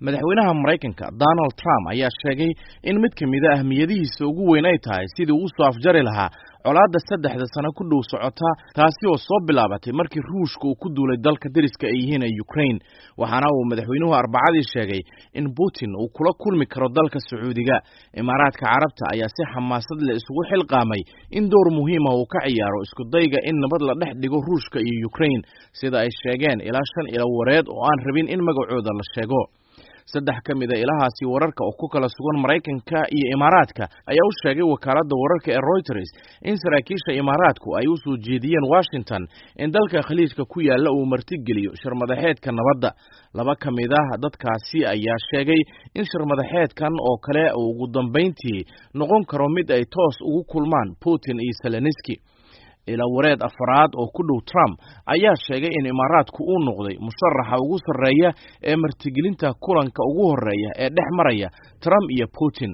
Madaxweynaha Maraykanka Donald Trump ayaa sheegay in mid ka mid a ahmiyadihiisa ugu weyn ay tahay sidii uu usoo afjari lahaa colaadda 3da sano ku dhow socota, taasi oo soo bilaabatay markii Ruushka uu ku duulay dalka deriska ay yihiin ee Ukraine. Waxaana uu madaxweynuhu Arbacadii sheegay in Putin uu kula kulmi karo dalka Sacuudiga. Imaaraadka Carabta ayaa si xamaasad leh isugu xilqaamay in door muhiima uu ka ciyaaro isku dayga in nabad la dhex dhigo Ruushka iyo Ukraine, sida ay sheegeen ilaa 5 ilo wareed oo aan rabin in magacooda la sheego. 3 ka mid a ilahaasi wararka oo ku kala sugan Maraykanka iyo Imaaraadka ayaa u sheegay wakaaladda wararka ee Reuters in saraakiisha Imaaraadku ay u soo jeediyeen Washington in dalka Khaliijka ku yaalla uu martigeliyo shirmadaxeedka nabadda. 2 ka mid ah dadkaasi ayaa sheegay in shirmadaxeedkan oo kale uu ugu dambayntii noqon karo mid ay toos ugu kulmaan Putin iyo Zelenski. Ila wareed afraad oo ku dhow Trump ayaa sheegay in Imaaraadku uu noqday musharaxa ugu sarreeya ee martigelinta kulanka ugu horreeya ee dhex maraya Trump iyo Putin.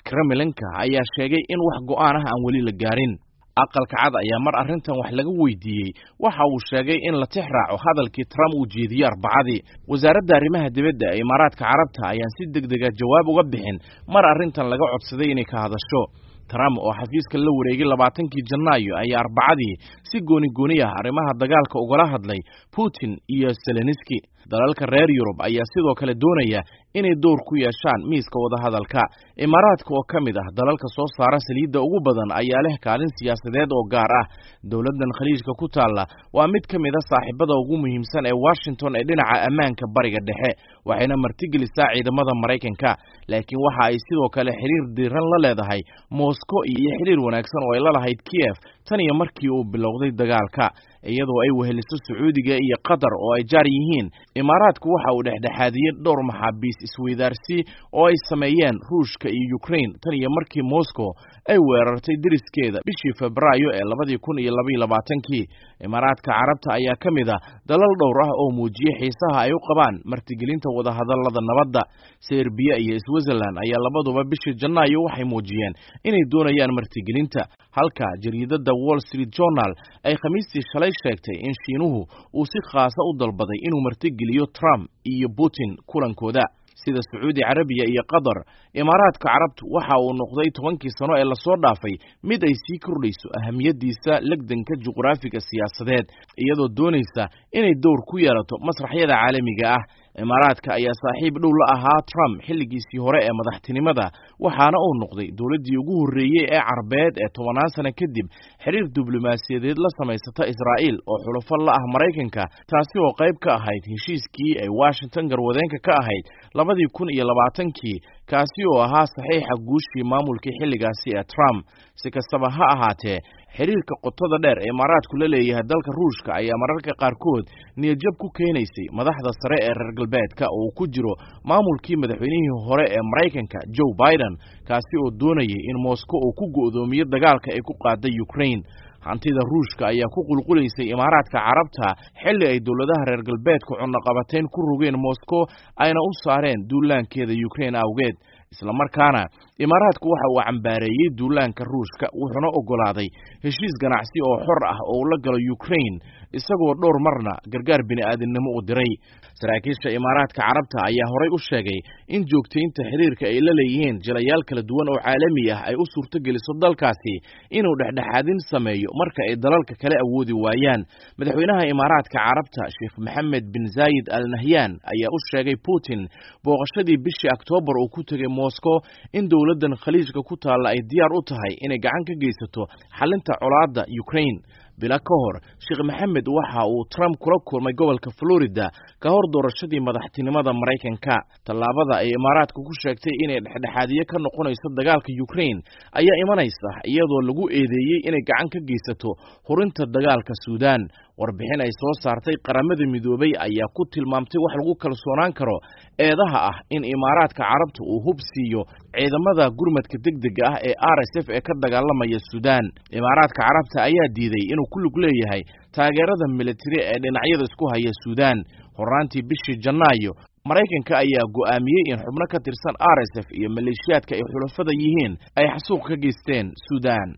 Kremlinka ayaa sheegay in wax go'aan ah aan weli la gaarin. Aqalka Cad ayaa mar arrintan wax laga weydiiyey waxa uu sheegay in la tix raaco hadalkii Trump uu jeediyey Arbacadii. Wasaaradda arrimaha dibadda ee Imaaraadka Carabta ayaan si degdega jawaab uga bixin mar arrintan laga codsaday inay ka hadasho. Trump oo xafiiska la wareegay 20kii Janaayo ayaa Arbacadii si gooni gooni ah arrimaha dagaalka ugala hadlay Putin iyo Zelenski. Dalalka reer Yurub ayaa sidoo kale doonaya inay door ku yeeshaan miiska wadahadalka. Imaaraadka oo ka mid ah dalalka soo saara saliidda ugu badan ayaa leh kaalin siyaasadeed oo gaar ah. Dowladdan Khaliijka ku taalla waa mid ka mid a saaxiibada ugu muhiimsan ee Washington ee dhinaca ammaanka Bariga Dhexe, waxayna martigelisaa ciidamada Maraykanka. Laakiin waxa ay sidoo kale xiriir diiran la leedahay Moscow iyo xiriir wanaagsan oo ay la lahayd Kiev tan iyo markii uu bilowday dagaalka, iyadoo ay weheliso Sacuudiga iyo Qatar oo ay jaar yihiin. Imaaraadku waxa uu dhexdhexaadiyey dhowr maxaabiis isweydaarsi oo ay sameeyeen Ruushka iyo Ukraine tan iyo markii Moscow ay weerartay deriskeeda bishii Febraayo ee 2022kii. Imaaraadka Carabta ayaa ka mid ah dalal dhowr ah oo muujiyey xiisaha ay u qabaan martigelinta wadahadallada nabadda. Serbiya iyo Switzerland ayaa labaduba bishii Janaayo waxay muujiyeen inay doonayaan martigelinta, halka jariidadda Wall Street Journal ay Khamiistii shalay sheegtay in Shiinuhu uu si khaasa u dalbaday inuu martigeliyo Trump iyo Putin kulankooda. Sida Sacuudi Carabiya iyo Qatar, Imaaraadka Carabtu waxa uu noqday 10kii sano ee lasoo dhaafay mid ay sii kordhayso ahamiyadiisa legdanka juqraafiga siyaasadeed, iyadoo doonaysa inay door ku yeelato masraxyada caalamiga ah. Imaaraadka ayaa saaxiib dhow la ahaa Trump xilligiisii hore ee madaxtinimada, waxaana uu noqday dowladdii ugu horreeyey ee Carbeed ee 10aan sano kadib xiriir diblomaasiyadeed la samaysata Israa'iil oo xulafo la ah Maraykanka, taasi oo qayb ka ahayd heshiiskii ay Washington garwadeenka ka ahayd 2020kii, kaasi oo ahaa saxiixa guushii maamulkii xilligaasi ee Trump. Si kastaba ha ahaatee, xiriirka qotada dheer ee Imaaraadku la leeyahay dalka Ruushka ayaa mararka qaarkood niyadjab ku keenaysay madaxda sare ee reer galbeedka oo uu ku jiro maamulkii madaxweynihii hore ee Maraykanka Joe Biden, kaasi oo doonayay in Moscow uu ku go'doomiyo dagaalka ay ku qaaday Ukraine. Hantida Ruushka ayaa ku qulqulaysay Imaaraadka Carabta xilli ay dowladaha reer galbeedku cunaqabateyn ku rogeen Moscow ayna u saareen duulaankeeda Ukraine awgeed. Islamarkaana Imaaraadku waxa uu cambaareeyey duulaanka Ruushka, wuxuuna oggolaaday heshiis ganacsi oo xor ah oo ula galo Ukraine, isagoo dhowr marna gargaar bini'aadamnimo u diray. Saraakiisha Imaaraadka Carabta ayaa horay u sheegay in joogtaynta xiriirka ay la leeyihiin jilayaal kala duwan oo caalami ah ay u suurtogeliso dalkaasi inuu dhexdhexaadin sameeyo marka ay dalalka kale awoodi waayaan. Madaxweynaha Imaaraadka Carabta Sheekh Maxamed bin Zaayid Al Nahyan ayaa u sheegay Putin booqashadii bishii Oktoobar uu ku tegey Moscow in dowladdan Khaliijka ku taalla ay diyaar u tahay inay gacan ka geysato xalinta colaadda Ukraine. Bila ka hor, Sheekh Maxamed waxa uu Trump kula kulmay gobolka Florida ka hor doorashadii madaxtinimada Maraykanka. Tallaabada ay Imaaraadku ku sheegtay inay dhexdhexaadiye ka noqonayso dagaalka Ukraine ayaa imanaysa iyadoo lagu eedeeyey inay gacan ka geysato hurinta dagaalka Suudaan. Warbixin ay soo saartay Qaramada Midoobay ayaa ku tilmaamtay wax lagu kalsoonaan karo eedaha ah in Imaaraadka Carabta uu hub siiyo ciidamada gurmadka degdega ah ee RSF ee ka dagaalamaya Suudaan. Imaaraadka Carabta ayaa diiday inuu ku lug leeyahay taageerada militari ee dhinacyada isku haya Suudaan. Horaantii bishii Janaayo, Maraykanka ayaa go'aamiyey in xubno ka tirsan RSF iyo maleeshiyaadka ay xulafada yihiin ay xasuuq ka geysteen Suudaan.